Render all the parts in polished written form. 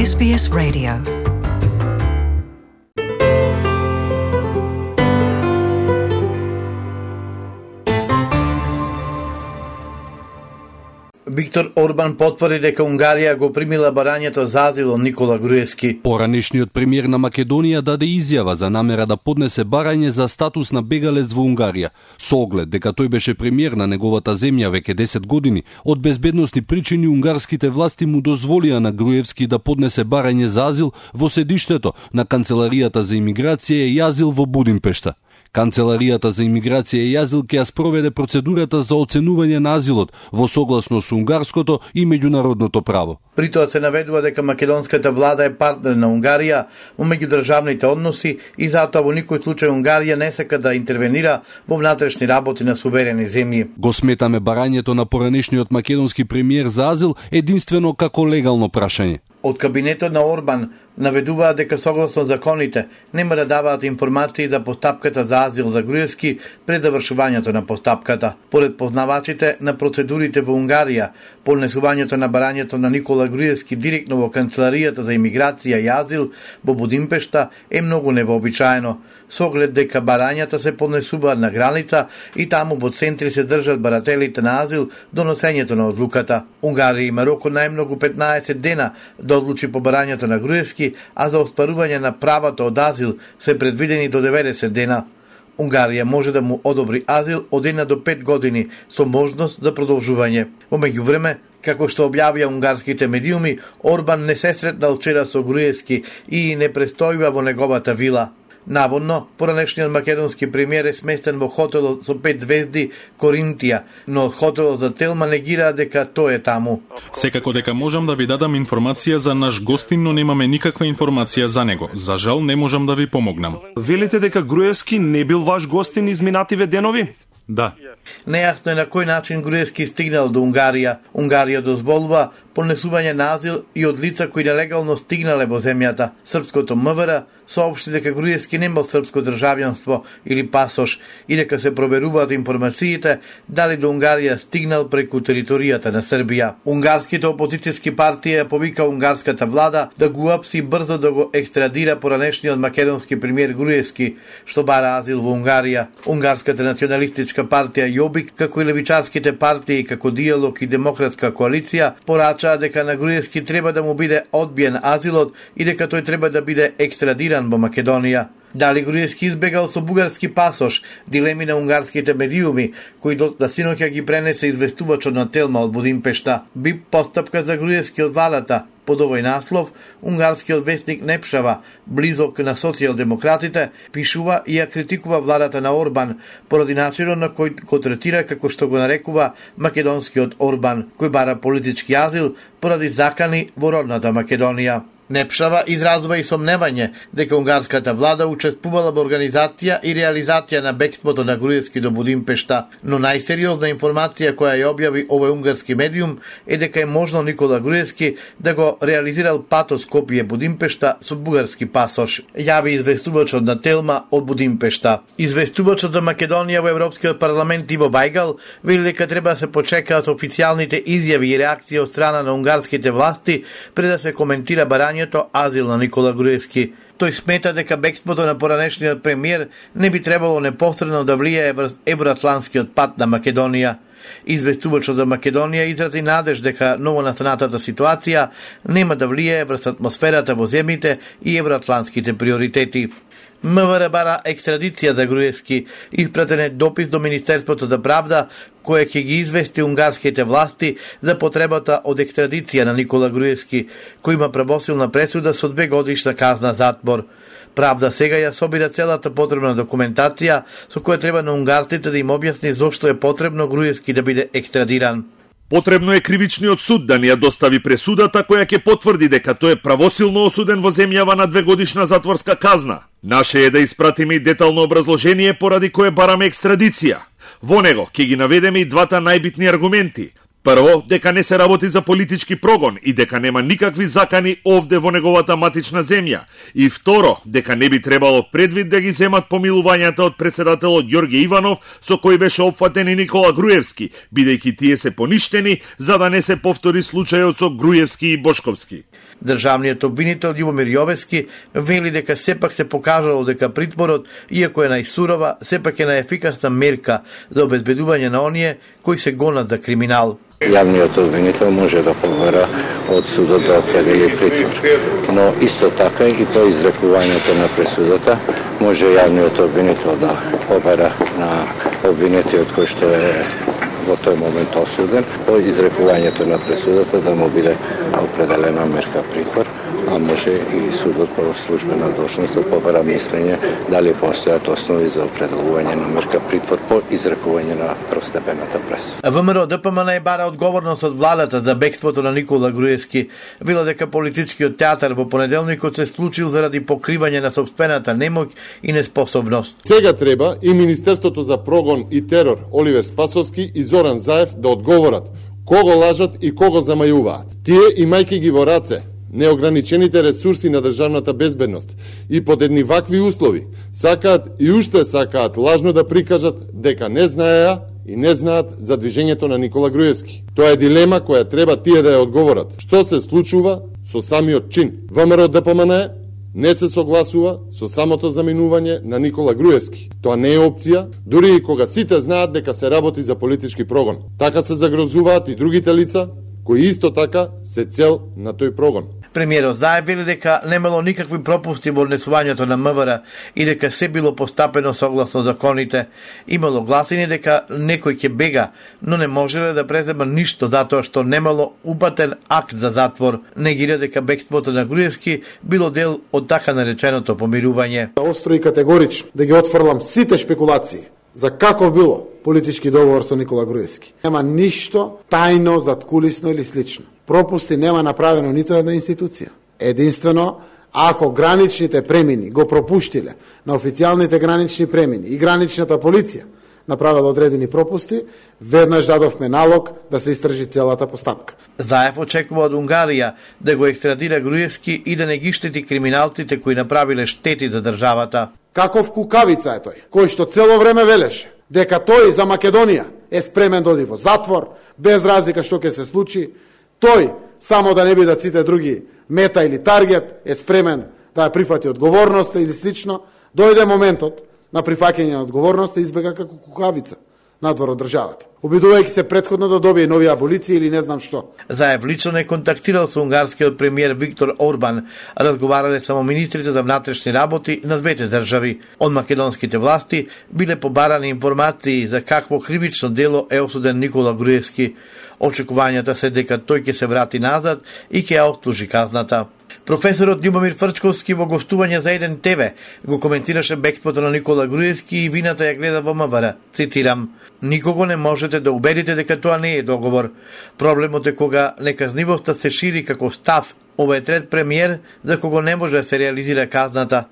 SBS Radio. Виктор Орбан потврди дека Унгарија го примила барањето за азил од Никола Груевски. Поранешниот премиер на Македонија даде изјава за намера да поднесе барање за статус на бегалец во Унгарија, со оглед дека тој беше премиер на неговата земја веќе 10 години. Од безбедносни причини унгарските власти му дозволија на Груевски да поднесе барање за азил во седиштето на Канцеларијата за имиграција и азил во Будимпешта. Канцеларијата за имиграција и азил ќе ја спроведе процедурата за оценување на азилот во согласно со унгарското и меѓународното право. При тоа се наведува дека македонската влада е партнер на Унгарија во меѓудржавните односи и затоа во никој случај Унгарија не сака да интервенира во внатрешни работи на суверени земји. Го сметаме барањето на поранешниот македонски премиер за азил единствено како легално прашање. Од кабинетот на Орбан наведуваат дека согласно законите нема да даваат информации за постапката за азил за Груевски пред завршувањето на постапката. Поред познавачите на процедурите во Унгарија, поднесувањето на барањето на Никола Груевски директно во Канцеларијата за имиграција и азил во Будимпешта е многу невообичаено, со оглед дека барањата се поднесуваат на граница и таму во центри се држат барателите на азил до носењето на одлуката. Унгарија има рок од најмногу 15 дена да одлучи по барањето на Груевски, а за оспарување на правото од азил се предвидени до 90 дена. Унгарија може да му одобри азил од 1 до 5 години со можност за продолжување. Во меѓувреме, како што објавија унгарските медиуми, Орбан не се сретнал вчера со Груевски и не престојува во неговата вила. Наводно, поранешниот македонски премиер е сместен во хотелот со 5 звезди Коринтија, но од хотелот за Телма негира дека тој е таму. Секако дека можам да ви дадам информација за наш гостин, но немаме никаква информација за него. За жал не можам да ви помогнам. Велите дека Груевски не бил ваш гостин изминативе денови? Да. Нејасно е на кој начин Груевски стигнал до Унгарија. Унгарија дозволува поднесување на азил и од лица кои нелегално стигнале во земјата. Српското МВР соопшти дека Груевски немал српско државјанство или пасош и дека се проверуваат информациите дали до Унгарија стигнал преку територијата на Србија. Унгарските опозицијски партија повика унгарската влада да го апси брзо да го екстрадира поранешниот македонски премиер Груевски, што бара азил во Унгарија. Унгарската националистичка партија Јобик, како и левичарските партии како Диалог и Демократска коалиција, порачаа дека на Груевски треба да му биде одбиен азилот и дека тој треба да биде екстрадиран во Македонија. Дали Груевски избегал со бугарски пасош, дилеми на унгарските медиуми, кои до синоќа ги пренесе известувачот на Телма од Будимпешта. Би постапка за Груевски од владата. Под овој наслов, унгарскиот вестник Непшава, близок на социјалдемократите, пишува и ја критикува владата на Орбан, поради начинот на кој го третира како што го нарекува македонскиот Орбан, кој бара политички азил поради закани во родната Македонија. Непшава изразува и сомневање дека унгарската влада учествувала во организација и реализација на бегството на Груевски до Будимпешта, но најсериозна информација која ја објави овој унгарски медиум е дека е можно Никола Груевски да го реализирал патот Скопје Будимпешта со бугарски пасош, јави известувачот на Телма од Будимпешта. Известувачот за Македонија во Европскиот парламент Иво Вајгал вели дека треба да се почекаат официјалните изјави и реакции од страна на унгарските власти пред да се коментира барањето азил на Никола Груевски. Тој смета дека бегството на поранешниот премиер не би требало непосредно да влијае врз евроатлантскиот пат на Македонија. Известувачот за Македонија изрази надеж дека новонастанатата ситуација нема да влијае врз атмосферата во земјите и евроатлантските приоритети. МВР бара екстрадиција за Груевски, испратен е допис до Министерството за правда, кој ќе ги извести унгарските власти за потребата од екстрадиција на Никола Груевски, кој има правосилна пресуда со 2 годишна казна затвор. Правда сега ја собира целата потребна документација со која треба на унгарците да им објасни зошто е потребно Груевски да биде екстрадиран. Потребно е кривичниот суд да ни ја достави пресудата која ќе потврди дека тој е правосилно осуден во земјава на 2 годишна затворска казна. Наше е да испратиме и детално образложение поради кое бараме екстрадиција. Во него ќе ги наведеме и двата најбитни аргументи. Прво, дека не се работи за политички прогон и дека нема никакви закани овде во неговата матична земја. И второ, дека не би требало предвид да ги земат помилувањата од председателот Ѓорѓе Иванов, со кој беше опфатен и Никола Груевски, бидејќи тие се поништени за да не се повтори случајот со Груевски и Бошковски. Државниот обвинител Љубомир Јовески вели дека сепак се покажало дека притворот, иако е најсурова, сепак е најефикасна мерка за обезбедување на оние кои се гонат за криминал. Јавниот обвинител може да побара од судот да определи притвор, но исто така и по изрекувањето на пресудата може јавниот обвинител да побара на обвинетиот кој што е во тој момент осуден, по изрекувањето на пресудата да му биде определена мерка притвор, а може и судот по службена должност да побара мислење дали постојат основи за определување на мерка притвор по изрекување на првостепената пресуда. ВМРО ДПМН бара одговорност од владата за бегството на Никола Груевски. Вела дека политичкиот театар во понеделникот се случил заради покривање на сопствената немоќ и неспособност. Сега треба и Министерството за прогон и терор Оливер Спасовски и Зоран Заев да одговорат кого лажат и кого замајуваат. Тие, имајќи ги во раце неограничените ресурси на државната безбедност и под едни вакви услови, сакаат и уште сакаат лажно да прикажат дека не знаеа и не знаат за движењето на Никола Груевски. Тоа е дилема која треба тие да ја одговорат. Што се случува со самиот чин? ВМРО ДПМН не се согласува со самото заминување на Никола Груевски. Тоа не е опција, дури и кога сите знаат дека се работи за политички прогон. Така се загрозуваат и другите лица, кои исто така се цел на тој прогон. Премиерот Заев вели дека немало никакви пропусти во однесувањето на МВР и дека се било постапено согласно законите. Имало гласини дека некој ќе бега, но не можеле да презема ништо затоа што немало упатен акт за затвор. Негира дека бегството на Груевски било дел од така нареченото помирување. Остро и категорично да ги отфрлам сите шпекулации за каков било политички договор со Никола Груевски. Нема ништо тајно, заткулисно или слично. Пропусти нема направено нито една институција. Единствено, ако граничните премини го пропуштиле на официјалните гранични премини и граничната полиција направила одредени пропусти, веднаш дадовме налог да се истражи целата постапка. Заев очекува од Унгарија да го екстрадира Груевски и да не ги штети криминалците кои направиле штети за државата. Каков кукавица е тој, кој што цело време велеше дека тој за Македонија е спремен да оди во затвор, без разлика што ќе се случи. Тој, само да не бидат сите други мета или таргет, е спремен да ја прифати одговорноста или слично. Дојде моментот на прифаќање на одговорноста и избега како кукавица надвор од државата, обидувајќи се претходно да добие нови аболиции или не знам што. Заев лично не контактирал со унгарскиот премиер Виктор Орбан, разговарале само министрите за внатрешни работи на двете држави. Од македонските власти биле побарани информации за какво кривично дело е осуден Никола Груевски. Очекувањата се дека тој ќе се врати назад и ќе ја отслужи казната. Професорот Љубомир Фрчковски во гостување за Еден ТВ го коментираше бегството на Никола Груевски и вината ја гледа во МВР. Цитирам: "Никого не можете да убедите дека тоа не е договор. Проблемот е кога неказнивоста се шири како став. Ова е трет премиер за кого не може да се реализира казната.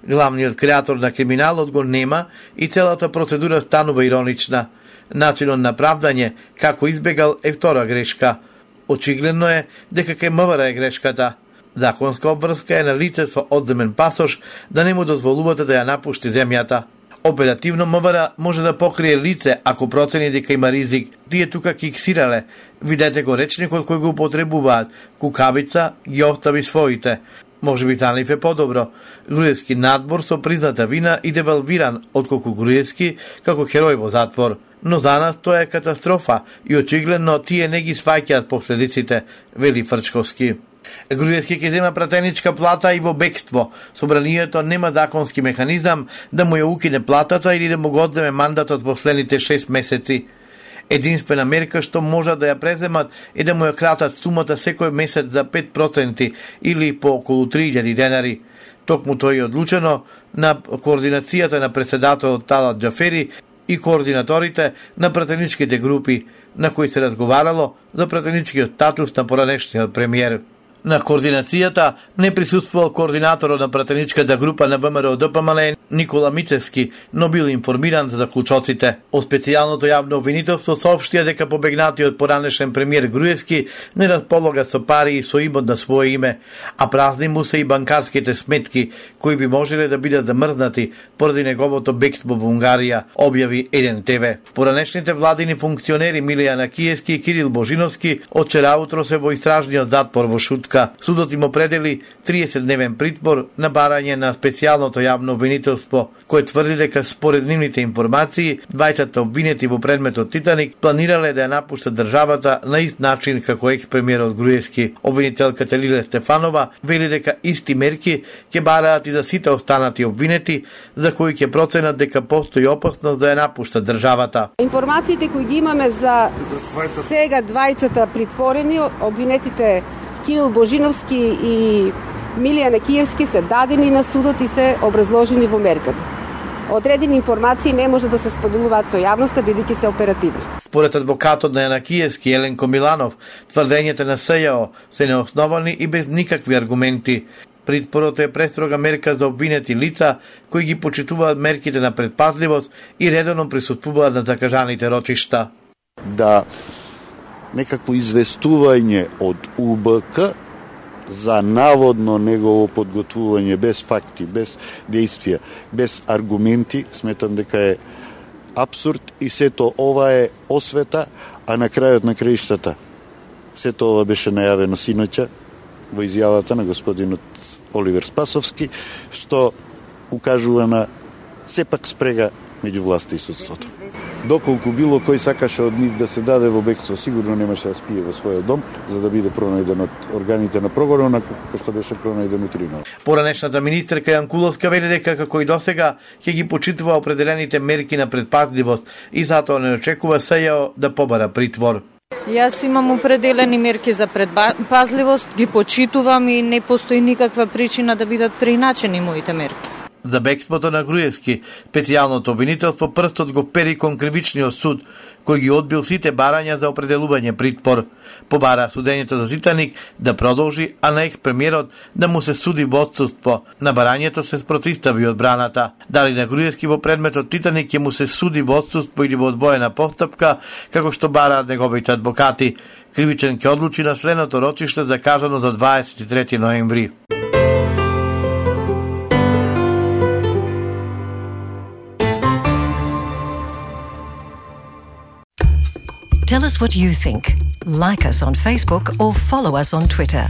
Главниот креатор на криминалот го нема и целата процедура станува иронична. Начинот на правдање, како избегал, е втора грешка. Очигледно е дека кај МВР е грешката. Законска обврска е на лице со одземен пасош да не му дозволувате да ја напушти земјата. Оперативно МВР може да покрие лице ако процени дека има ризик. Тие тука киксирале. Видете го речникот кој го употребуваат. Кукавица ги остави своите. Може би за нив е подобро. Груевски надбор со призната вина и девалвиран отколку Груевски како херој во затвор. Но за нас тоа е катастрофа и очигледно тие не ги сваќаат последиците, вели Фрчковски. Груевски ќе зема пратеничка плата и во бегство. Собранието нема законски механизам да му ја укине платата или да му го одземе мандатот последните 6 месеци. Единствена мерка што може да ја преземат е да му ја кратат сумата секој месец за 5% или по околу 3000 денари. Токму тоа е одлучено на координацијата на председателот Талат Џафери и координаторите на пратеничките групи, на кои се разговарало за пратеничкиот статус на поранешниот премиер. На координацијата не присуствувал координаторот на пратеничката група на ВМРО ДПМН Никола Мицевски, но бил информиран за заклучоците. О специјалното јавно обвинителство соопштија дека побегнатиот поранешен премиер Груевски не располага со пари и со имот на свое име, а празни му се и банкарските сметки, кои би можеле да бидат замрзнати поради неговото бегство во Унгарија, објави Еден ТВ. Поранешните владини функционери Милијан Акиевски и Кирил Божиновски од вчера утро се во истражниот затвор во Шутка. постапка. Судот им определи 30-дневен притвор на барање на специјалното јавно обвинителство, кое тврди дека според нивните информации, двајцата обвинети во предметот Титаник планирале да ја напуштат државата на ист начин како екс-премиерот Груевски. Обвинителката Лиле Стефанова вели дека исти мерки ќе бараат и за сите останати обвинети, за кои ќе проценат дека постои опасност да ја напуштат државата. Информациите кои ги имаме за сега двајцата притворени, обвинетите Кирил Божиновски и Милијан Екиевски се дадени на судот и се образложени во мерката. Одредени информации не може да се споделуваат со јавноста, бидејќи се оперативни. Според адвокатот на Јанакиевски Еленко Миланов, тврдењата на СЈО се неосновани и без никакви аргументи. Притворот е престрога мерка за обвинети лица кои ги почитуваат мерките на предпазливост и редовно присуствуваат на закажаните рочишта. Да некакво известување од УБК за наводно негово подготвување без факти, без действија, без аргументи, сметам дека е апсурд и сето ова е освета, а на крајот на краиштата сето ова беше најавено синоќа во изјавата на господинот Оливер Спасовски, што укажува на сепак спрега меѓу власта и судството. Доколку било кој сакаше од нив да се даде во бегство, сигурно немаше да спие во својот дом, за да биде пронајден од органите на прогонот, како што беше пронајден утрино. Поранешната министерка Јанкуловска вели дека како и досега ќе ги почитува определените мерки на предпазливост и затоа не очекува СЈО да побара притвор. Јас имам определени мерки за предпазливост, ги почитувам и не постои никаква причина да бидат преиначени моите мерки. За бегството на Груевски, специјалното обвинителство прстот го пери кон кривичниот суд, кој ги одбил сите барања за определување притвор. Побара судењето за Титаник да продолжи, а на екс-премиерот да му се суди во отсуство. На барањето се спротивстави одбраната. Дали на Груевски во предметот Титаник ќе му се суди во отсуство или во одвоена постапка, како што бараат неговите адвокати. Кривичен ќе одлучи на следното рочиште закажано за 23 ноември. Tell us what you think. Like us on Facebook or follow us on Twitter.